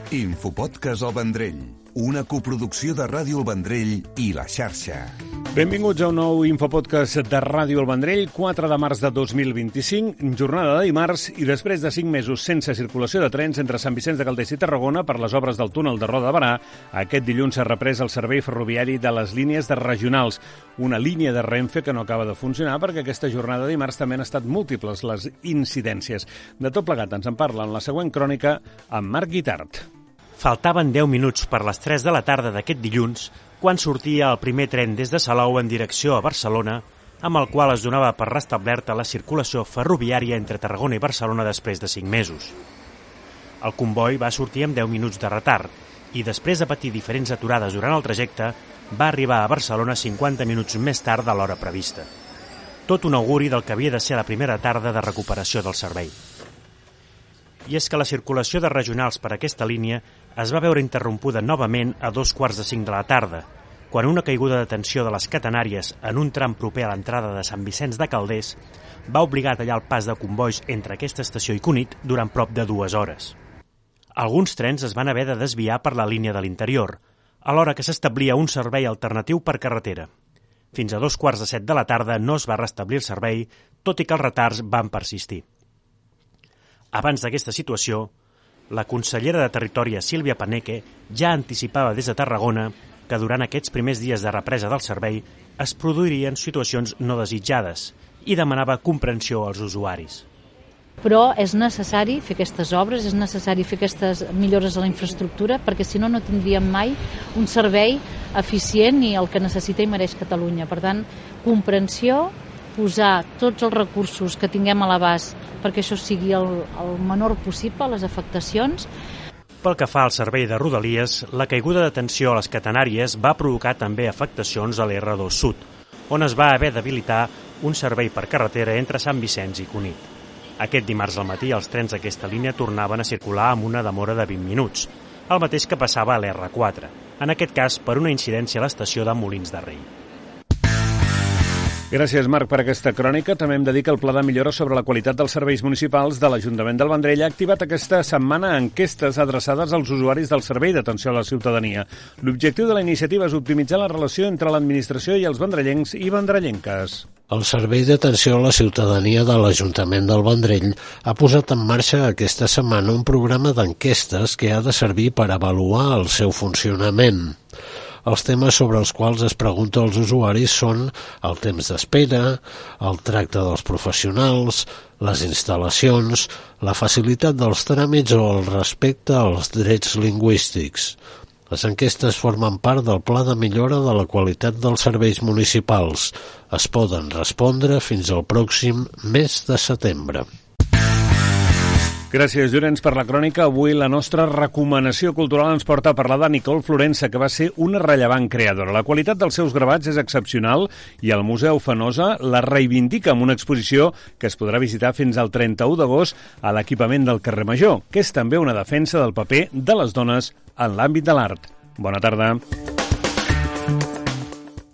Infopodcast El Vendrell, una coproducció de Ràdio El Vendrell i La Xarxa. Benvinguts a un nou Infopodcast de Ràdio El Vendrell, 4 de març de 2025, jornada de dimarts, i després de 5 mesos sense circulació de trens entre Sant Vicenç de Calders i Tarragona per les obres del túnel de Roda de Barà, aquest dilluns s'ha reprès el servei ferroviari de les línies de regionals, una línia de Renfe que no acaba de funcionar perquè aquesta jornada de dimarts també han estat múltiples les incidències. De tot plegat ens en parla en la següent crònica amb Marc Guitart. Faltaven 10 minuts per les 3 de la tarda d'aquest dilluns quan sortia el primer tren des de Salou en direcció a Barcelona, amb el qual es donava per restablerta la circulació ferroviària entre Tarragona i Barcelona després de 5 mesos. El comboi va sortir amb 10 minuts de retard i després de patir diferents aturades durant el trajecte, va arribar a Barcelona 50 minuts més tard de l'hora prevista. Tot un auguri del que havia de ser la primera tarda de recuperació del servei. I és que la circulació de regionals per aquesta línia es va veure interrompuda novament a 2:45 de la tarda, quan una caiguda de tensió de les catenàries en un tram proper a l'entrada de Sant Vicenç de Calders va obligar a tallar el pas de combois entre aquesta estació i Cunit durant prop de 2 hores. Alguns trens es van haver de desviar per la línia de l'interior, alhora que s'establia un servei alternatiu per carretera. Fins a 2:15 de la tarda no es va restablir el servei, tot i que els retards van persistir. Abans d'aquesta situació, la consellera de Territori, Sílvia Paneque, ja anticipava des de Tarragona que durant aquests primers dies de represa del servei es produirien situacions no desitjades i demanava comprensió als usuaris. Però és necessari fer aquestes obres, és necessari fer aquestes millores a la infraestructura, perquè si no, no tindríem mai un servei eficient i el que necessita i mereix Catalunya. Per tant, comprensió, posar tots els recursos que tinguem a l'abast perquè això sigui el menor possible, les afectacions. Pel que fa al servei de Rodalies, la caiguda de tensió a les catenàries va provocar també afectacions a l'R2 Sud, on es va haver d'habilitar un servei per carretera entre Sant Vicenç i Cunit. Aquest dimarts al matí els trens d'aquesta línia tornaven a circular amb una demora de 20 minuts, el mateix que passava a l'R4, en aquest cas per una incidència a l'estació de Molins de Rei. Gràcies, Marc, per aquesta crònica. També em dedica el Pla de Millora sobre la qualitat dels serveis municipals de l'Ajuntament del Vendrell. Ha activat aquesta setmana enquestes adreçades als usuaris del servei d'atenció a la ciutadania. L'objectiu de la iniciativa és optimitzar la relació entre l'administració i els vendrellencs i vendrellenques. El Servei d'Atenció a la Ciutadania de l'Ajuntament del Vendrell ha posat en marxa aquesta setmana un programa d'enquestes que ha de servir per avaluar el seu funcionament. Els temes sobre els quals es pregunta als usuaris són el temps d'espera, el tracte dels professionals, les instal·lacions, la facilitat dels tràmits o el respecte als drets lingüístics. Les enquestes formen part del Pla de Millora de la Qualitat dels Serveis Municipals. Es poden respondre fins al pròxim mes de setembre. Gràcies, Llorenç, per la crònica. Avui la nostra recomanació cultural ens porta a parlar de Nicole Florença, que va ser una rellevant creadora. La qualitat dels seus gravats és excepcional i el Museu Fenosa la reivindica amb una exposició que es podrà visitar fins al 31 d'agost a l'equipament del carrer Major, que és també una defensa del paper de les dones en l'àmbit de l'art. Bona tarda.